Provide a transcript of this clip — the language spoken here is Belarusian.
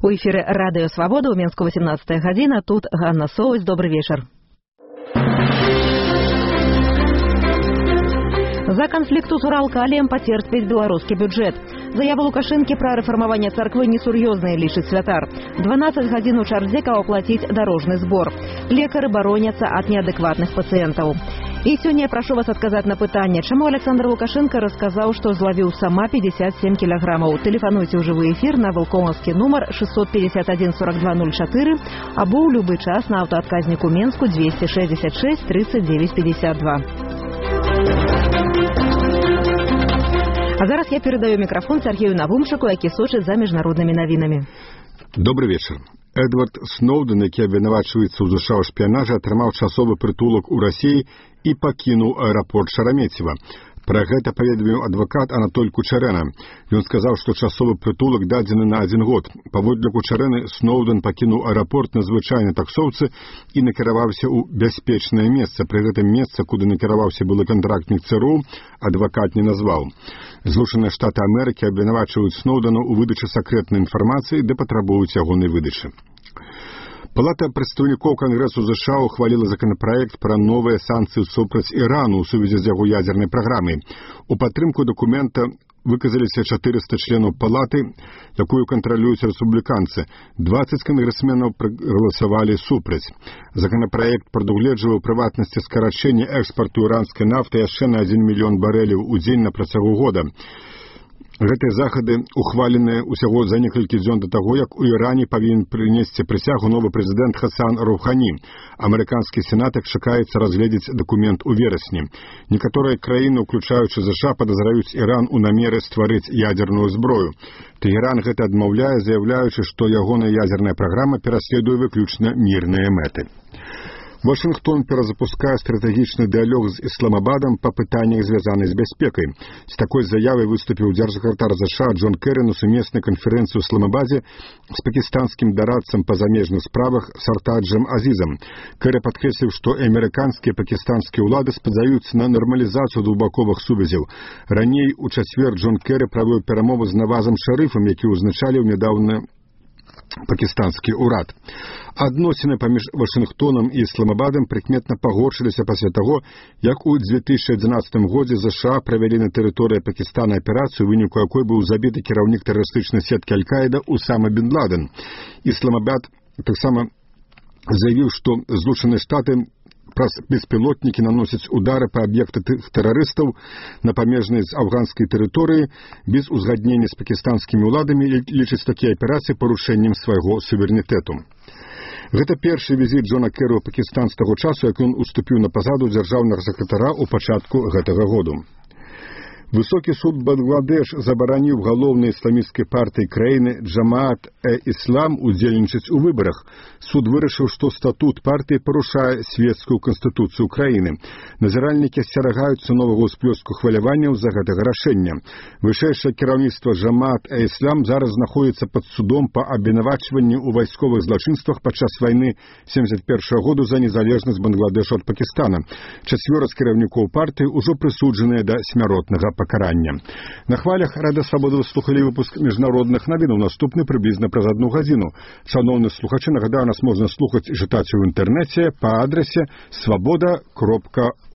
У эфире Радио Свобода, у Минску 18 година. Тут Ганна Соусь. Добрый вечер. За канфлікту з Уралкаліем пацерпіць беларускі бюджэт. Заява Лукашэнкі пра рэфармаванне царквы несур'ёзныя, лічыць святар. 12 гадзін у чарзе, каб аплаціць дарожны збор. Лекары бароняцца ад неадэкватных пацыентаў. І сёння я прашу вас адказаць на пытанне, чаму Александр Лукашенко расказаў, што злавіў сама 57 кілаграмаў. Тэлефануйце ў жывы эфір на вулкоўскі нумар 651 4204 або ў любы час на аўтаадказніку Менску 266 39 52. А зараз я передаю микрофон Сергею Навумчику, які сочыць за міжнароднымі навінамі. Добрый вечер. Эдвард Сноуден, які абвінавачваецца ў ЗША ў шпіянажы, атрымаў часовы прытулак у Расіі і пакінуў аэрапорт Шарамецева. Пра гэта паведаміў адвакат Анатоль Кучарэна. Ён сказаў, што часовы прытулак дадзены на 1 год. Паводле Кучарэны, Сноуден пакінуў аэрапорт на звычайнай таксоўцы і накіраваўся ў бяспечнае месца. Пры гэтым месца, куды накіраваўся былы кантрактнік ЦРУ, адвакат не назваў. Злучаныя Штаты Амерыкі абвінавачваюць Сноудена ў выдачы сакрэтнай інфармацыі, ды патрабуюць ягонай выдачы. Палата прадстаўнікоў Кангрэсу ЗША ухваліла законапраект пра новыя санкцыі супраць Ірану ў сувязі з яго ядзернай праграмай. У падтрымку дакумента выказаліся 400 членаў палаты, якую кантралююць рэспубліканцы. 20 кангрэсменаў прагаласавалі супраць. Законапраект прадугледжвае ў прыватнасці скарачэнне экспарту іранскай нафты яшчэ на 1 мільён барэляў у дзень на працягу года. Гэтыя захады ухваленыя ўсяго за некалькі дзён да таго, як у Іране павінен прынесці прысягу новы прэзідэнт Хасан Роухані. Амерыканскі сенат чакаецца разгледзець дакумент у верасні. Некаторыя краіны, уключаючы ЗША, падазраюць Іран у намеры стварыць ядзерную зброю. Тэгеран гэта адмаўляе, заяўляючы, што ягоная ядзерная праграма пераследуе выключна мірныя мэты. Вашингтон перазапускае стратэгічны дыялог з Ісламабадам па пытаннях, звязаных з бяспекай. З такой заявай выступіў дзяржсакратар ЗША Джон Керрі на сумеснай канферэнцыі ў Ісламабадзе з пакістанскім дарадцам па замежных справах Сартаджам Азізам. Керрі падкрэсліў, што амерыканскія і пакістанскія ўлады спадзяюцца на нармалізацыю двухбаковых сувязяў. Раней у чацвер Джон Керрі правёў перамовы з Навазам Шарыфам, які ўзначаліў нядаўна пакістанскі ўрад. Адносіны паміж Вашингтонам і Ісламабадам прыкметна пагоршыліся пасля таго, як у 2011 годзе ЗША правялі на тэрыторыі Пакістана аперацыю, у выніку якой быў забіты кіраўнік тэрарыстычнай сеткі Аль-Каіда Усама бін Ладен. Ісламабад таксама заявіў, што Злучаныя Штаты праз беспілотнікі наносяць удары па аб'екты тэрарыстаў на памежнай з афганскай тэрыторыі без узгаднення з пакістанскімі ўладамі і лічыць такія аперацыі парушэннем свайго суверэнітэту. Гэта першы візіт Джона Керрі ў Пакістан з таго часу, як ён уступіў на пасаду дзяржаўнага сакратара ў пачатку гэтага году. Высокі суд Бангладеш забараніў галоўнай ісламісцкай партыі краіны Джамаат-э-Іслам удзельнічаць у выбарах. Суд вырашыў, што статут партыі парушае свецкую канстытуцыю краіны. Назіральнікі асцерагаюцца новага ўсплёску хваляванняў з-за гэтага рашэння. Вышэйшае кіраўніцтва Джамаат-э-Іслам зараз знаходзіцца пад судом па абвінавачванні ў вайсковых злачынствах падчас вайны 1971 году за незалежнасць Бангладешу ад Пакістана. 4 з кіраўнікоў партыі ўжо прысуджаныя да смяротнага пакарання. На хвалях Радыё Свабода вы слухалі выпуск міжнародных навінаў, наступны прыблізна праз 1 гадзіну. Шановні слухачы, нагадаю, нас можна слухаць і чытаць у інтэрнэце па адрасе swaboda.org.